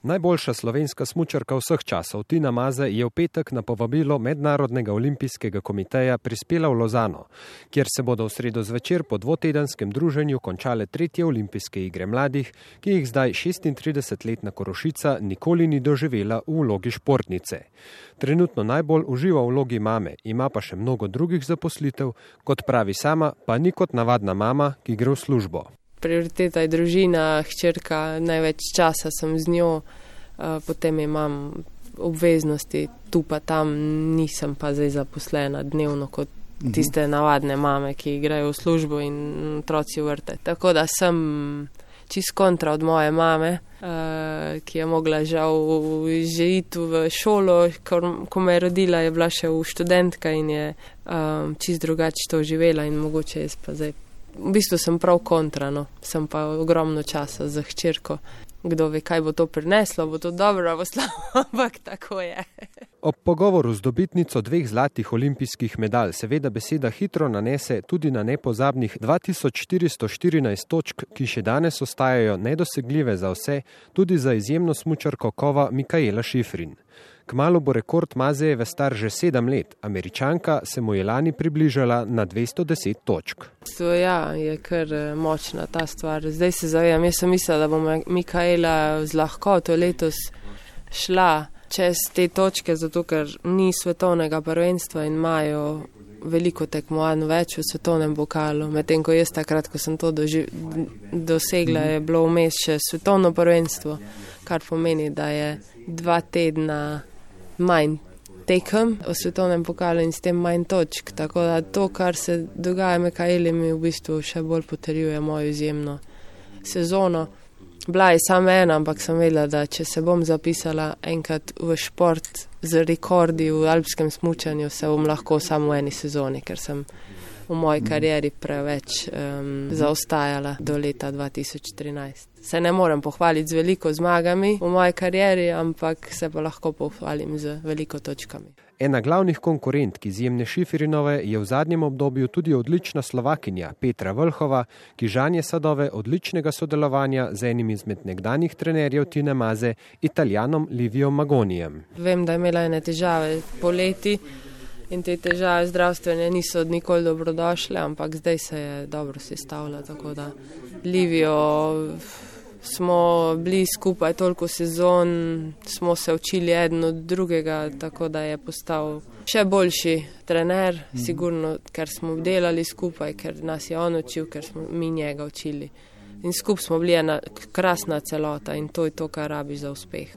Najboljša slovenska smučarka vseh časov Tina Maze je v petek na povabilo Mednarodnega olimpijskega komiteja prispela v Lozano, kjer se bodo v sredo zvečer po dvotedenskem druženju končale 3. olimpijske igre mladih, ki jih zdaj 36-letna Korošica nikoli ni doživela v vlogi športnice. Trenutno najbolj uživa v vlogi mame, ima pa še mnogo drugih zaposlitev, kot pravi sama, pa ni kot navadna mama, ki gre v službo. Prioriteta je družina, hčerka, največ časa sem z njo, potem imam obveznosti, tu pa tam nisem pa zdaj zaposlena dnevno kot tiste navadne mame, ki grejo v službo in otroci v vrtec. Tako da sem čist kontra od moje mame, ki je mogla žal že iti v šolo, ko me je rodila, je bila še v študentka in je čist drugače to živela in mogoče jaz pa zdaj. V bistvu sem prav kontra, no. Sem pa ogromno časa za hčerko. Kdo ve, kaj bo to prineslo, bo to dobro, bo slabo, ampak tako je. Ob pogovoru z dobitnico 2 zlatih olimpijskih medalj seveda beseda hitro nanese tudi na nepozabnih 2414 točk, ki še danes ostajajo nedosegljive za vse, tudi za izjemno smučarko kova Mikaela Šifrin. Kmalu bo rekord Mazejeve star že 7 let, Američanka se mu je lani približala na 210 točk. Ja, je kar močna ta stvar. Zdaj se zavedam, jaz sem mislila, da bo Mikaela z lahkoto letos šla čez te točke, zato ker ni svetovnega prvenstva in imajo veliko tekmovanj več v svetovnem pokalu. Medtem ko jaz takrat, ko sem to dosegla, je bilo vmes še svetovno prvenstvo, kar pomeni, da je 2 tedna manj tekem v svetovnem pokalu in s tem manj točk. Tako da to, kar se dogaja Mikaeli, mi v bistvu še bolj potrjuje mojo izjemno sezono. Bila je samo ena, ampak sem vedela, da če se bom zapisala enkrat v šport z rekordi v alpskem smučanju, se bom lahko samo v eni sezoni, ker sem v moji karieri preveč zaostajala do leta 2013. Se ne morem pohvaliti z veliko zmagami v moji karieri, ampak se pa lahko pohvalim z veliko točkami. Ena glavnih konkurentk izjemne Šifrinove je v zadnjem obdobju tudi odlična Slovakinja Petra Vlhova, ki žanje sadove odličnega sodelovanja z enim izmed nekdanjih trenerjev Tine Maze, Italijanom Livijom Magonijem. Vem, da je imela ene težave poleti in te težave zdravstvene niso nikoli dobrodošle, ampak zdaj se je dobro sestavila, tako da Livijo smo bili skupaj toliko sezon, smo se učili eden od drugega, tako da je postal še boljši trener, sigurno, ker smo delali skupaj, ker nas je on učil, ker smo mi njega učili. In skupaj smo bili ena krasna celota in to je to, kar rabiš za uspeh.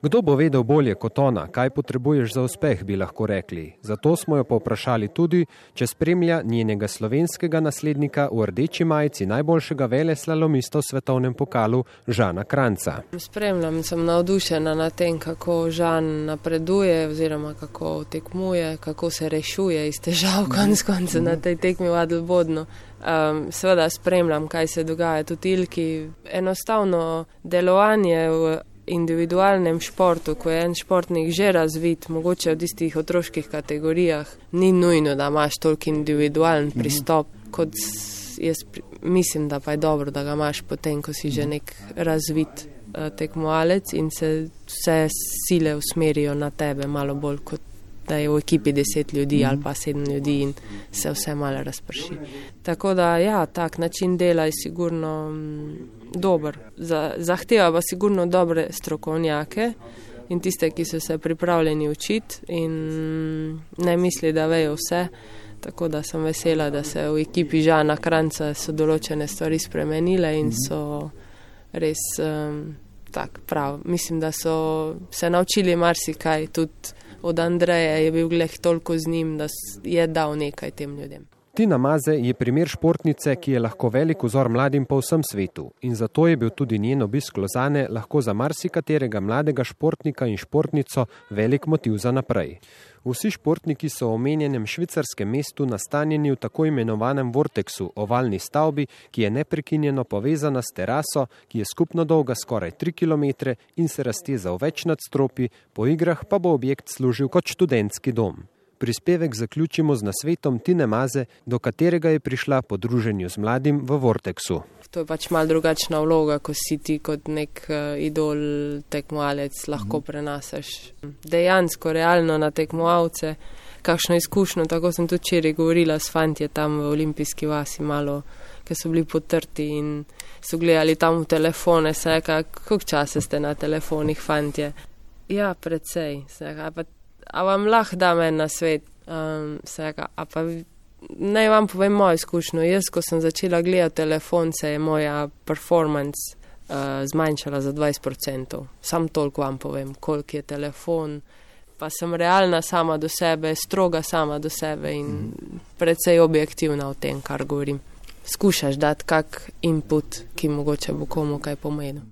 Kdo bo vedel bolje kot ona, kaj potrebuješ za uspeh, bi lahko rekli. Zato smo jo povprašali tudi, če spremlja njenega slovenskega naslednika v rdeči majici najboljšega veleslalomista v svetovnem pokalu Žana Kranjca. Spremljam, sem navdušena na tem, kako Žan napreduje oziroma kako tekmuje, kako se rešuje iz težav konec konca na tej tekmi v Adelbodnu. Seveda spremljam, kaj se dogaja tudi Ilki. Enostavno delovanje v individualnem športu, ko je en športnik že razvit, mogoče v tistih otroških kategorijah, ni nujno, da imaš toliko individualen pristop, kot jaz mislim, da pa je dobro, da ga imaš potem, ko si že nek razvit tekmovalec in se vse sile usmerijo na tebe malo bolj, kot da je v ekipi 10 ljudi ali pa 7 ljudi in se vse malo razprši. Tako da, ja, tak način dela je sigurno dober. Zahteva pa sigurno dobre strokovnjake in tiste, ki so se pripravljeni učiti in ne misli, da vejo vse. Tako da sem vesela, da se v ekipi Žana Kranjca so določene stvari spremenile in so res tak prav. Mislim, da so se naučili marsikaj, tudi od Andreja je bil glih toliko z njim, da je dal nekaj tem ljudem. Tina Maze je primer športnice, ki je lahko velik vzor mladim po vsem svetu in zato je bil tudi njen obisk Lozane lahko za marsikaterega mladega športnika in športnico velik motiv za naprej. Vsi športniki so v omenjenem švicarskem mestu nastanjeni v tako imenovanem vorteksu, ovalni stavbi, ki je neprekinjeno povezana s teraso, ki je skupno dolga skoraj 3 km in se razteza v več nadstropji, po igrah pa bo objekt služil kot študentski dom. prispevek zaključimo z nasvetom Tine Maze, do katerega je prišla po druženju z mladim v Vortexu. To je pač malo drugačna vloga, ko si ti kot nek idol tekmovalec lahko prenasaš dejansko, realno na tekmovalce, kakšno izkušnjo. Tako sem tudi včeraj govorila s fantje tam v Olimpijski vasi malo, ki so bili potrti in so gledali tam v telefone, se reka, koliko časa ste na telefonih, fantje? Ja, precej, se reka, a vam lahko dam en nasvet, se reka, a pa naj vam povem mojo izkušnjo. Jaz, ko sem začela gledati telefon, se je moja performance zmanjšala za 20%. Sam toliko vam povem, koliko je telefon. Pa sem realna sama do sebe, stroga sama do sebe in precej objektivna v tem, kar govorim. Skušaš dati kak input, ki mogoče bo komu kaj pomenil.